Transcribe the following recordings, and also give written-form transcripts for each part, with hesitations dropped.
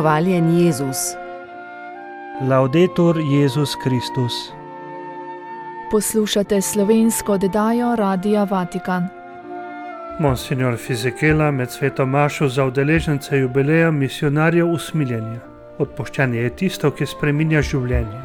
Hvaljen Jezus. Laudetur Jezus Kristus. Poslušate slovensko oddajo Radia Vatikan. Monsignor Fizikela med sveto mašo za udeležence jubileja misionarjev usmiljenja. Odpuščanje je tisto, ki spreminja življenje.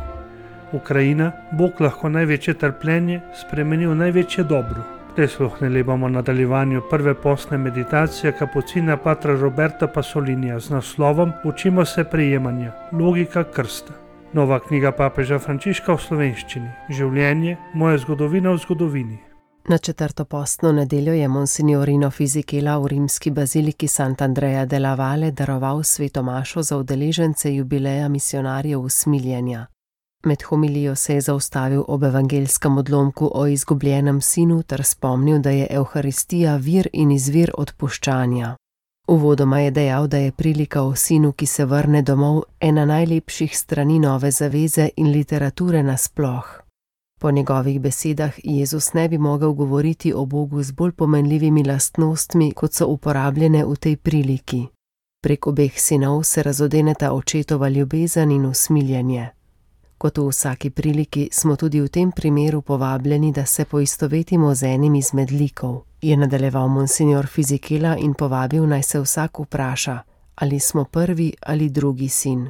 Ukrajina, Bog lahko največje trpljenje spremeni v največje dobro. Prisluhnili bomo nadaljevanju prve postne meditacije kapucina patra Roberta Pasolinija z naslovom Učimo se prijemanja, logika krsta. Nova knjiga papeža Frančiška v slovenščini. Življenje, moja zgodovina v zgodovini. Na četrto postno nedeljo je monsignorino Fizikela v rimski baziliki Sant'Andrea della Valle daroval sveto mašo za udeležence jubileja misionarjev usmiljenja. Med homilijo se je zaustavil ob evangelskem odlomku o izgubljenem sinu ter spomnil, da je Evharistija vir in izvir odpuščanja. Uvodoma je dejal, da je prilika o sinu, ki se vrne domov, ena najlepših strani nove zaveze in literature nasploh. Po njegovih besedah Jezus ne bi mogel govoriti o Bogu z bolj pomenljivimi lastnostmi, kot so uporabljene v tej priliki. Prek obeh sinov se razodeneta očetova ljubezen in usmiljenje. Kot v vsaki priliki smo tudi v tem primeru povabljeni, da se poistovetimo z enim izmed likov, je nadaljeval monsignor Fizikela in povabil, naj se vsak vpraša, ali smo prvi ali drugi sin.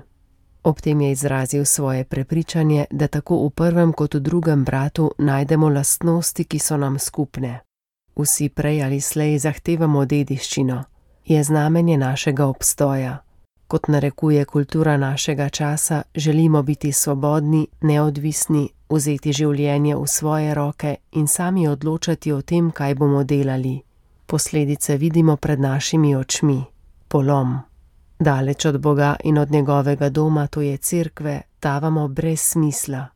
Ob tem je izrazil svoje prepričanje, da tako v prvem kot v drugem bratu najdemo lastnosti, ki so nam skupne. Vsi prej ali slej zahtevamo dediščino, je znamenje našega obstoja. Kot narekuje kultura našega časa, želimo biti svobodni, neodvisni, vzeti življenje v svoje roke in sami odločati o tem, kaj bomo delali. Posledice vidimo pred našimi očmi. Polom. Daleč od Boga in od njegovega doma, to je cerkve, tavamo brez smisla.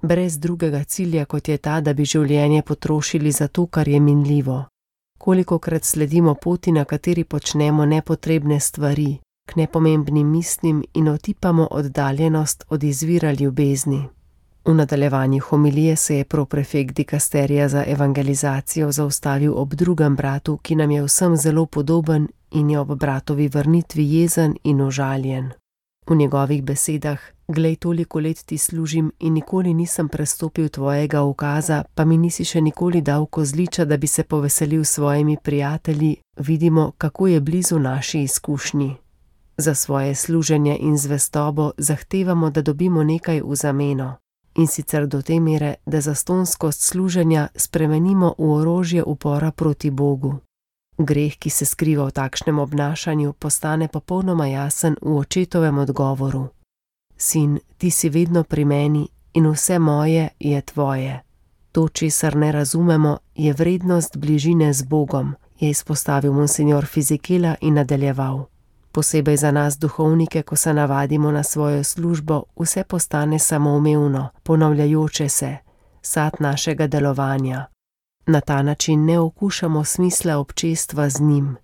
Brez drugega cilja, kot je ta, da bi življenje potrošili za to, kar je minljivo. Kolikokrat sledimo poti, na kateri počnemo nepotrebne stvari, k nepomembnim mislim in otipamo oddaljenost od izvira ljubezni. V nadaljevanju homilije se je proprefekt dikasterija za evangelizacijo zaustavil ob drugem bratu, ki nam je vsem zelo podoben in je ob bratovi vrnitvi jezen in užaljen. V njegovih besedah: "Glej, toliko let ti služim in nikoli nisem prestopil tvojega ukaza, pa mi nisi še nikoli dal kozliča, da bi se poveselil s svojimi prijatelji", vidimo, kako je blizu naši izkušnji. Za svoje služenje in zvestobo zahtevamo, da dobimo nekaj v zameno, in sicer do te mere, da zastonskost služenja spremenimo v orožje upora proti Bogu. Greh, ki se skriva v takšnem obnašanju, postane popolnoma jasen v očetovem odgovoru. Sin, ti si vedno pri meni in vse moje je tvoje. To, česar ne razumemo, je vrednost bližine z Bogom, je izpostavil monsignor Fizikela in nadaljeval. Posebej za nas duhovnike, ko se navadimo na svojo službo, vse postane samoumevno, ponavljajoče se, sad našega delovanja. Na ta način ne okušamo smisla občestva z njim.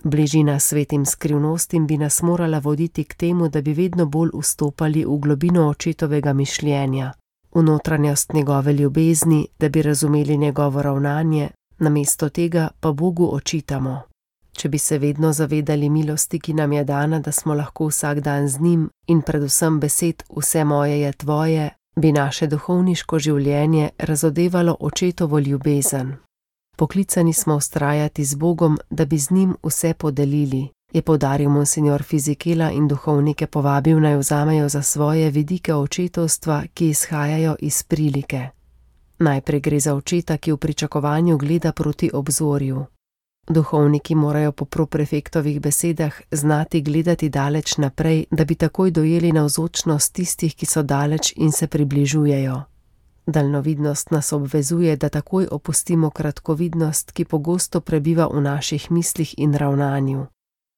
Bližina svetim skrivnostim bi nas morala voditi k temu, da bi vedno bolj vstopali v globino očetovega mišljenja, v notranjost njegove ljubezni, da bi razumeli njegovo ravnanje, namesto tega pa Bogu očitamo. Če bi se vedno zavedali milosti, ki nam je dana, da smo lahko vsak dan z njim in predvsem besed vse moje je tvoje, bi naše duhovniško življenje razodevalo očetovo ljubezen. Poklicani smo vztrajati z Bogom, da bi z njim vse podelili, je poudaril monsignor Fizikela in duhovnike povabil, naj vzamejo za svoje vidike očetovstva, ki izhajajo iz prilike. Najprej gre za očeta, ki v pričakovanju gleda proti obzorju. Duhovniki morajo po proprefektovih besedah znati gledati daleč naprej, da bi takoj dojeli navzočnost tistih, ki so daleč in se približujejo. Daljnovidnost nas obvezuje, da takoj opustimo kratkovidnost, ki pogosto prebiva v naših mislih in ravnanju,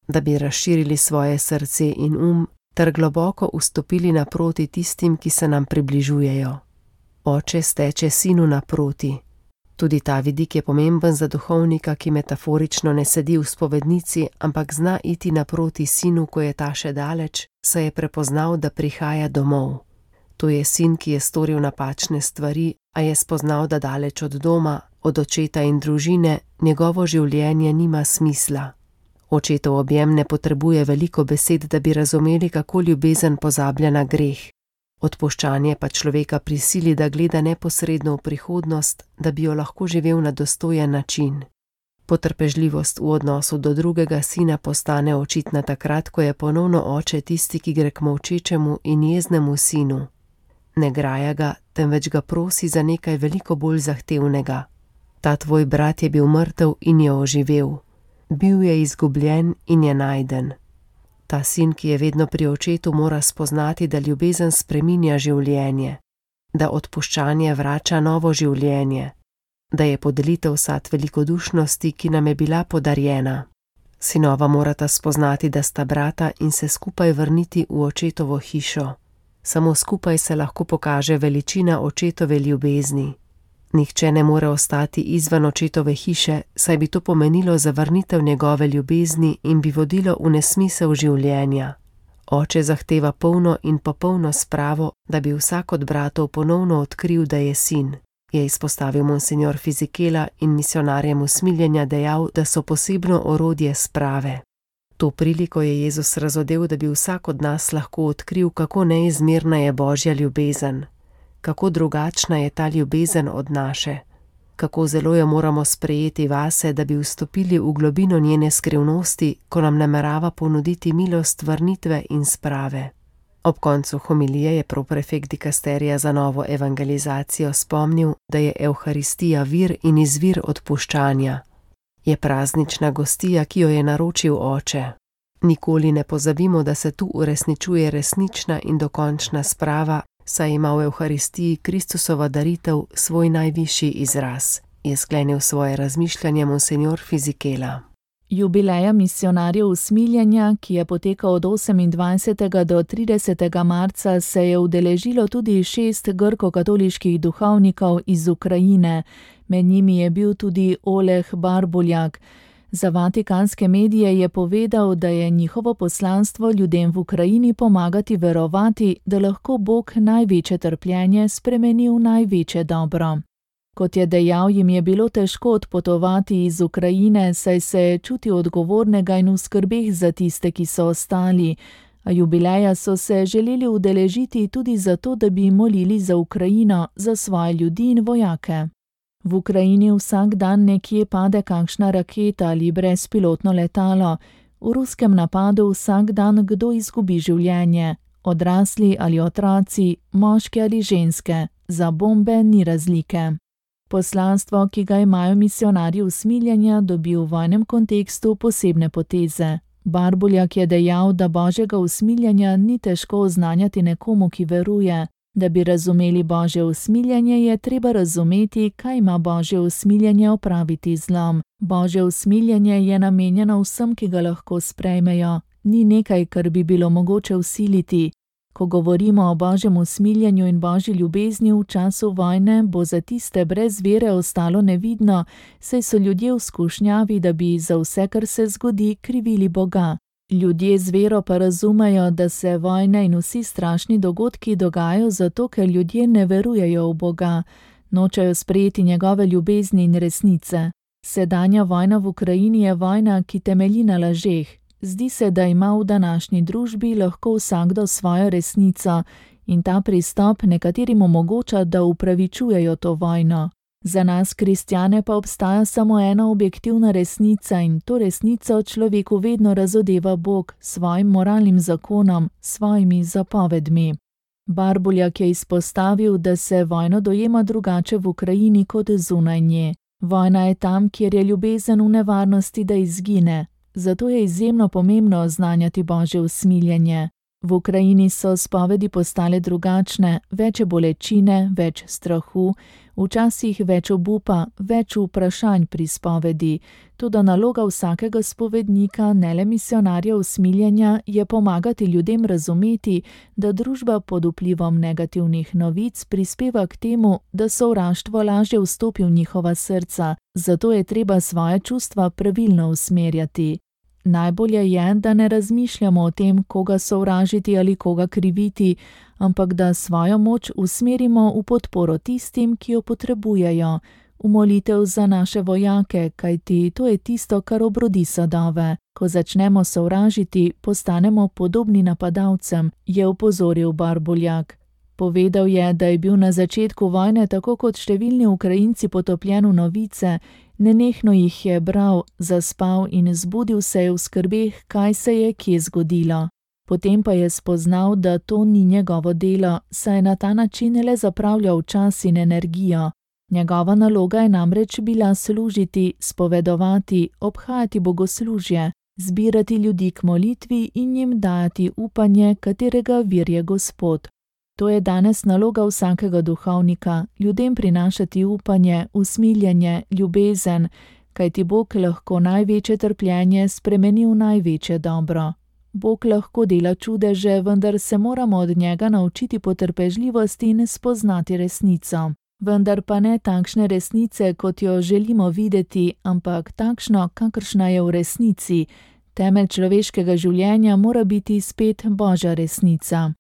da bi razširili svoje srce in ter globoko vstopili naproti tistim, ki se nam približujejo. Oče steče sinu naproti. Tudi ta vidik je pomemben za duhovnika, ki metaforično ne sedi v spovednici, ampak zna iti naproti sinu, ko je ta še daleč, saj je prepoznal, da prihaja domov. To je sin, ki je storil napačne stvari, a je spoznal, da daleč od doma, od očeta in družine, njegovo življenje nima smisla. Očetov objem ne potrebuje veliko besed, da bi razumeli, kako ljubezen pozablja na greh. Odpuščanje pa človeka prisili, da gleda neposredno v prihodnost, da bi jo lahko živel na dostojen način. Potrpežljivost v odnosu do drugega sina postane očitna takrat, ko je ponovno oče tisti, ki gre k molčečemu in jeznemu sinu. Ne graja ga, temveč ga prosi za nekaj veliko bolj zahtevnega. Ta tvoj brat je bil mrtev in je oživel. Bil je izgubljen in je najden. Ta sin, ki je vedno pri očetu, mora spoznati, da ljubezen spreminja življenje, da odpuščanje vrača novo življenje, da je podelitev sad velikodušnosti, ki nam je bila podarjena. Sinova morata spoznati, da sta brata in se skupaj vrniti v očetovo hišo. Samo skupaj se lahko pokaže veličina očetove ljubezni. Nihče ne more ostati izven očetove hiše, saj bi to pomenilo zavrnitev njegove ljubezni in bi vodilo v nesmisel življenja. Oče zahteva polno in popolno spravo, da bi vsak od bratov ponovno odkril, da je sin, je izpostavil monsignor Fisichella in misionarjem usmiljenja dejal, da so posebno orodje sprave. To priliko je Jezus razodel, da bi vsak od nas lahko odkril, kako neizmerna je Božja ljubezen, kako drugačna je ta ljubezen od naše, kako zelo jo moramo sprejeti vase, da bi vstopili v globino njene skrivnosti, ko nam namerava ponuditi milost vrnitve in sprave. Ob koncu homilije je proprefekt dikasterija za novo evangelizacijo spomnil, da je Evharistija vir in izvir odpuščanja. Je praznična gostija, ki jo je naročil Oče. Nikoli ne pozabimo, da se tu uresničuje resnična in dokončna sprava, saj ima v Evharistiji Kristusova daritev svoj najvišji izraz, je sklenil svoje razmišljanje monsignor Fisichella. Jubileja misionarjev usmiljenja, ki je potekal od 28. do 30. marca, se je udeležilo tudi 6 grko-katoliških duhovnikov iz Ukrajine. Med njimi je bil tudi Oleg Barbuljak. Za vatikanske medije je povedal, da je njihovo poslanstvo ljudem v Ukrajini pomagati verovati, da lahko Bog največje trpljenje spremeni v največje dobro. Kot je dejal, jim je bilo težko odpotovati iz Ukrajine, saj se je čutil odgovornega in v skrbeh za tiste, ki so ostali, a jubileja so se želeli udeležiti tudi zato, da bi molili za Ukrajino, za svoje ljudi in vojake. V Ukrajini vsak dan nekje pade kakšna raketa ali brezpilotno letalo. V ruskem napadu vsak dan kdo izgubi življenje, odrasli ali otroci, moški ali ženske, za bombe ni razlike. Poslanstvo, ki ga imajo misionarji usmiljenja, dobi v vojnem kontekstu posebne poteze. Barbuljak je dejal, da Božjega usmiljenja ni težko oznanjati nekomu, ki veruje. Da bi razumeli Božje usmiljenje, je treba razumeti, kaj ima Božje usmiljenje opraviti z zlom. Božje usmiljenje je namenjeno vsem, ki ga lahko sprejmejo. Ni nekaj, kar bi bilo mogoče vsiliti. Ko govorimo o Božjem usmiljenju in Božji ljubezni v času vojne, bo za tiste brez vere ostalo nevidno, saj so ljudje v skušnjavi, da bi za vse, kar se zgodi, krivili Boga. Ljudje z vero pa razumejo, da se vojne in vsi strašni dogodki dogajajo zato, ker ljudje ne verujejo v Boga, nočejo sprejeti njegove ljubezni in resnice. Sedanja vojna v Ukrajini je vojna, ki temelji na lažeh. Zdi se, da ima v današnji družbi lahko vsakdo svojo resnico in ta pristop nekaterim omogoča, da upravičujejo to vojno. Za nas, kristjane, pa obstaja samo ena objektivna resnica in to resnico človeku vedno razodeva Bog s svojim moralnim zakonom, svojimi zapovedmi. Barbuljak je izpostavil, da se vojno dojema drugače v Ukrajini kot zunaj nje. Vojna je tam, kjer je ljubezen v nevarnosti, da izgine. Zato je izjemno pomembno oznanjati Božje usmiljenje. V Ukrajini so spovedi postale drugačne, več je bolečine, več strahu, včasih več obupa, več vprašanj pri spovedi. Toda naloga vsakega spovednika, ne le misionarja usmiljenja, je pomagati ljudem razumeti, da družba pod vplivom negativnih novic prispeva k temu, da sovraštvo lažje vstopi v njihova srca, zato je treba svoje čustva pravilno usmerjati. Najbolje je, da ne razmišljamo o tem, koga sovražiti ali koga kriviti, ampak da svojo moč usmerimo v podporo tistim, ki jo potrebujejo, v molitev za naše vojake, kajti to je tisto, kar obrodi sadove. Ko začnemo sovražiti, postanemo podobni napadalcem, je opozoril Barbuljak. Povedal je, da je bil na začetku vojne tako kot številni Ukrajinci potopljen v novice, nenehno jih je bral, zaspal in zbudil se je v skrbeh, kaj se je kje zgodilo. Potem pa je spoznal, da to ni njegovo delo, saj je na ta način le zapravljal čas in energijo. Njegova naloga je namreč bila služiti, spovedovati, obhajati bogoslužje, zbirati ljudi k molitvi in jim dajati upanje, katerega vir je Gospod. To je danes naloga vsakega duhovnika, ljudem prinašati upanje, usmiljenje, ljubezen, kajti Bog lahko največje trpljenje spremeni v največje dobro. Bog lahko dela čudeže, vendar se moramo od njega naučiti potrpežljivosti in spoznati resnico. Vendar pa ne takšne resnice, kot jo želimo videti, ampak takšno, kakršna je v resnici. Temelj človeškega življenja mora biti spet Božja resnica.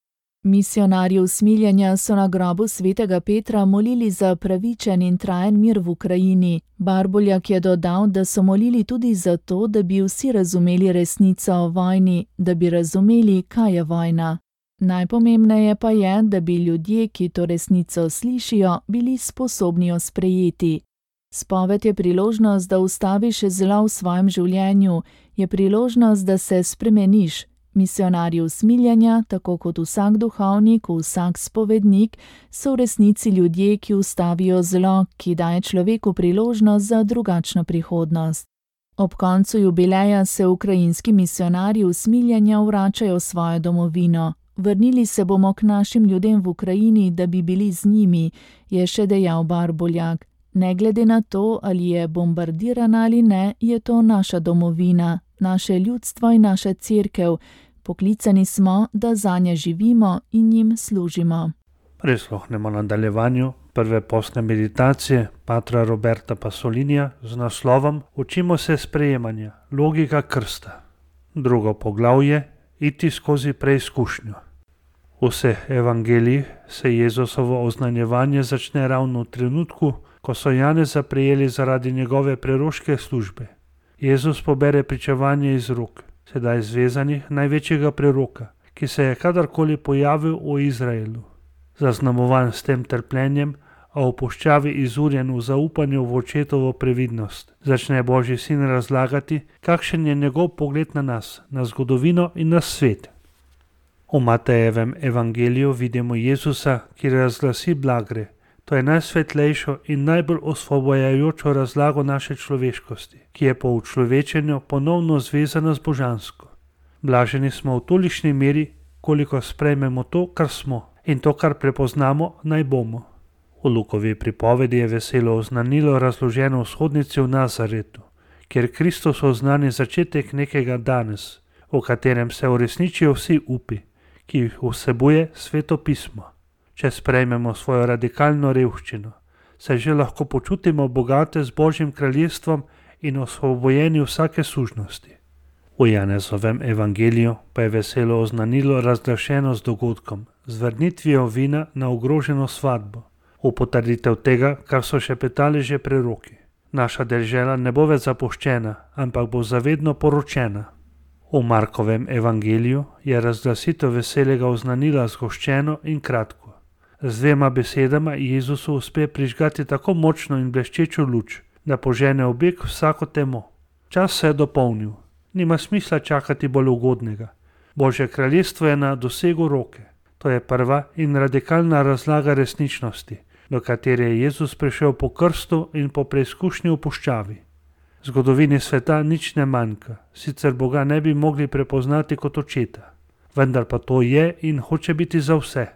Misionarji usmiljenja so na grobu svetega Petra molili za pravičen in trajen mir v Ukrajini. Barbuljak je dodal, da so molili tudi za to, da bi vsi razumeli resnico o vojni, da bi razumeli, kaj je vojna. Najpomembneje pa je, da bi ljudje, ki to resnico slišijo, bili sposobni jo sprejeti. Spoved je priložnost, da ustaviš zlo v svojem življenju, je priložnost, da se spremeniš. Misionarji usmiljenja, tako kot vsak duhovnik, vsak spovednik, so v resnici ljudje, ki ustavijo zlo, ki daje človeku priložnost za drugačno prihodnost. Ob koncu jubileja se ukrajinski misionarji usmiljenja vračajo v svojo domovino. Vrnili se bomo k našim ljudem v Ukrajini, da bi bili z njimi, je še dejal Barbuljak. Ne glede na to, ali je bombardirana ali ne, je to naša domovina, naše ljudstvo in naša cerkev. Poklicani smo, da zanje živimo in jim služimo. Prisluhnemo nadaljevanju prve postne meditacije patra Roberta Pasolinija z naslovom Učimo se sprejemanja, logika krsta. Drugo poglavje, iti skozi preizkušnjo. V vseh evangelijih se Jezusovo oznanjevanje začne ravno v trenutku, ko so Janeza prijeli zaradi njegove preroške službe. Jezus pobere pričevanje iz rok, sedaj zvezanih največjega preroka, ki se je kadarkoli pojavil v Izraelu. Zaznamovan s tem trpljenjem, a v puščavi izurjen v zaupanju v očetovo previdnost, začne Božji sin razlagati, kakšen je njegov pogled na nas, na zgodovino in na svet. V Matejevem evangeliju vidimo Jezusa, ki razglasi blagre. To je najsvetlejšo in najbolj osvobojajočo razlago naše človeškosti, ki je po učlovečenju ponovno zvezana z božansko. Blaženi smo v tolikšni meri, koliko sprejmemo to, kar smo, in to, kar prepoznamo, naj bomo. V Lukovi pripovedi je veselo oznanilo razloženo v shodnici v Nazaretu, kjer Kristus oznani začetek nekega danes, v katerem se uresničijo vsi upi, ki jih vsebuje Sveto pismo. Če sprejmemo svojo radikalno revščino, se že lahko počutimo bogate z Božjim kraljestvom in osvobojeni vsake sužnosti. V Janezovem evangeliju pa je veselo oznanilo razglašeno z dogodkom, z vrnitvijo vina na ogroženo svatbo, v potrditev tega, kar so šepetali že preroki. Naša dežela ne bo več zapuščena, ampak bo zavedno poročena. V Markovem evangeliju je razglasitev veselega oznanila zgoščeno in kratko. Z dvema besedama Jezusu uspe prižgati tako močno in bleščečo luč, da požene v beg vsako temo. Čas se je dopolnil, nima smisla čakati bolj ugodnega. Božje kraljestvo je na dosegu roke. To je prva in radikalna razlaga resničnosti, do katere je Jezus prišel po krstu in po preizkušnji v puščavi. Zgodovini sveta nič ne manjka, sicer Boga ne bi mogli prepoznati kot očeta. Vendar pa to je in hoče biti za vse.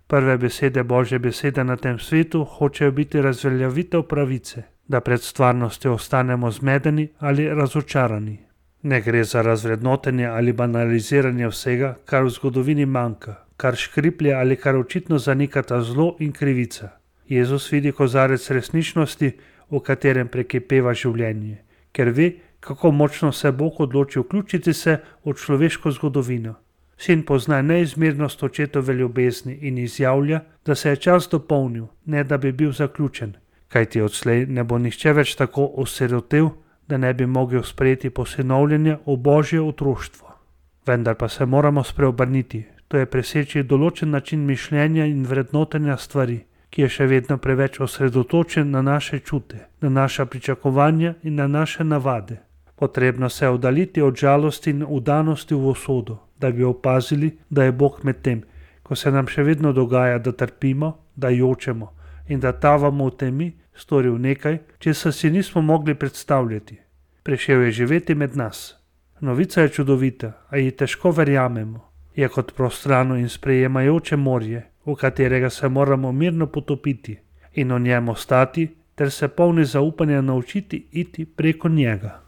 Prve besede Božje besede na tem svetu hočejo biti razveljavitev pravice, da pred stvarnostjo ostanemo zmedeni ali razočarani. Ne gre za razvrednotenje ali banaliziranje vsega, kar v zgodovini manjka, kar škriplje ali kar očitno zanikata zlo in krivica. Jezus vidi kozarec resničnosti, v katerem prekipeva življenje, ker ve, kako močno se Bog odloči vključiti se v človeško zgodovino. Sin pozna neizmernost očetove ljubezni in izjavlja, da se je čas dopolnil, ne da bi bil zaključen, kajti odslej ne bo nihče več tako osirotel, da ne bi mogel sprejeti posinovljenja v božje otroštvo. Vendar pa se moramo spreobrniti, to je preseči določen način mišljenja in vrednotenja stvari, ki je še vedno preveč osredotočen na naše čute, na naša pričakovanja in na naše navade. Potrebno se oddaljiti od žalosti in vdanosti v usodo, da bi opazili, da je Bog med tem, ko se nam še vedno dogaja, da trpimo, da jočemo in da tavamo v temi, storil nekaj, česar si nismo mogli predstavljati. Prišel je živeti med nas. Novica je čudovita, a ji težko verjamemo. Je kot prostrano in sprejemajoče morje, v katerega se moramo mirno potopiti in o njem ostati, ter se polni zaupanja naučiti iti preko njega.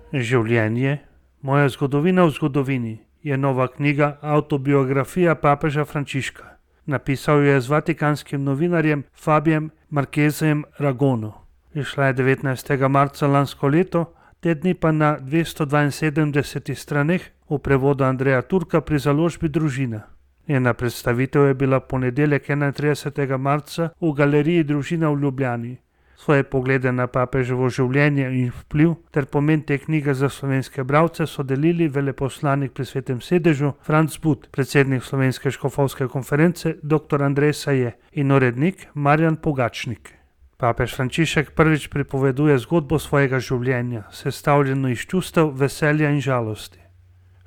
Življenje, moja zgodovina v zgodovini, je nova knjiga Avtobiografija papeža Frančiška. Napisal jo je z vatikanskim novinarjem Fabijem Marquezem Ragono. Izšla je 19. marca lansko leto, te dni pa na 272 straneh v prevodu Andreja Turka pri založbi Družina. Njena predstavitev je bila ponedeljek 31. marca v galeriji Družina v Ljubljani. Svoje poglede na papeževo življenje in vpliv ter pomen te knjige za slovenske bralce so delili veleposlanik pri Svetem sedežu Franc But, predsednik Slovenske škofovske konference dr. Andrej Saje in urednik Marjan Pogačnik. Papež Frančišek prvič pripoveduje zgodbo svojega življenja, sestavljeno iz čustev, veselja in žalosti.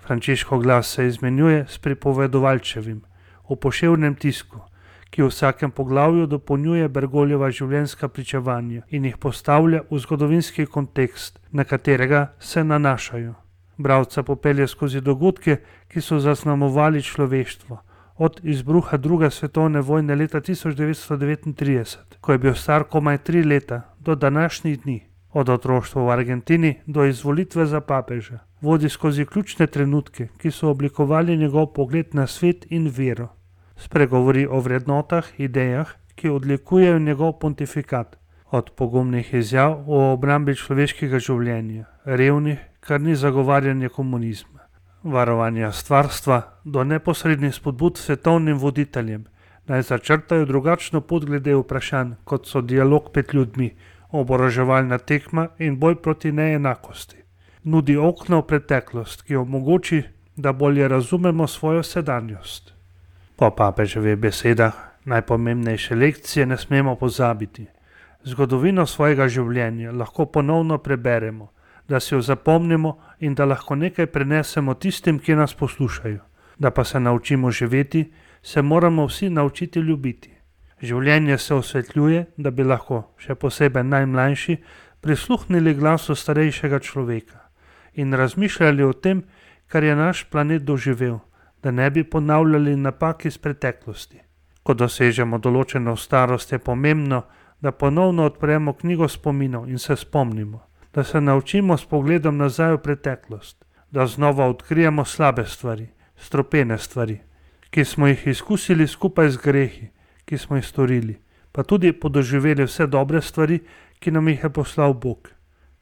Frančiškov glas se izmenjuje s pripovedovalčevim v poševnem tisku, ki v vsakem poglavju dopolnjuje Bergoljeva življenjska pričevanja in jih postavlja v zgodovinski kontekst, na katerega se nanašajo. Bralca popelje skozi dogodke, ki so zaznamovali človeštvo, od izbruha druge svetovne vojne leta 1939, ko je bil star komaj 3 leta, do današnjih dni, od otroštva v Argentini do izvolitve za papeža, vodi skozi ključne trenutke, ki so oblikovali njegov pogled na svet in vero. Spregovori o vrednotah, idejah, ki odlikujejo njegov pontifikat, od pogumnih izjav o obrambi človeškega življenja, revnih, kar ni zagovarjanje komunizma, varovanja stvarstva, do neposrednih spodbud svetovnim voditeljem, naj začrtajo drugačno pot glede vprašanj, kot so dialog med ljudmi, oboroževalna tekma in boj proti neenakosti. Nudi okno v preteklost, ki omogoči, da bolje razumemo svojo sedanjost. Po papeževih besedah najpomembnejše lekcije ne smemo pozabiti. Zgodovino svojega življenja lahko ponovno preberemo, da si jo zapomnimo in da lahko nekaj prenesemo tistim, ki nas poslušajo. Da pa se naučimo živeti, se moramo vsi naučiti ljubiti. Življenje se osvetljuje, da bi lahko, še posebej najmlajši, prisluhnili glasu starejšega človeka in razmišljali o tem, kar je naš planet doživel, da ne bi ponavljali napak iz preteklosti. Ko dosežemo določeno starost, je pomembno, da ponovno odpremo knjigo spominov in se spomnimo, da se naučimo s pogledom nazaj v preteklost, da znova odkrijemo slabe stvari, stropene stvari, ki smo jih izkusili skupaj z grehi, ki smo jih storili, pa tudi podoživeli vse dobre stvari, ki nam jih je poslal Bog.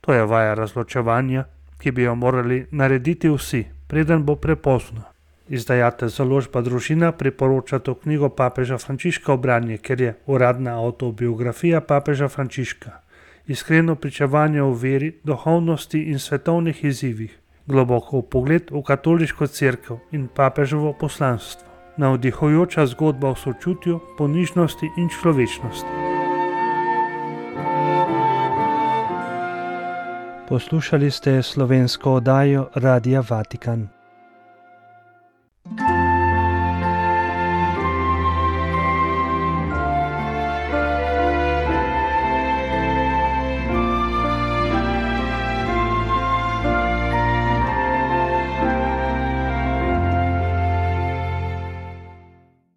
To je vaja razločevanja, ki bi jo morali narediti vsi, preden bo prepozno. Izdajatelj založba Družina priporoča to knjigo papeža Frančiška v branje, ker je uradna avtobiografija papeža Frančiška, iskreno pričevanje o veri, duhovnosti in svetovnih izzivih, globoko vpogled v katoliško cerkev in papeževo poslanstvo, navdihujoča zgodba o sočutju, ponižnosti in človečnosti. Poslušali ste slovensko oddajo Radia Vatikan.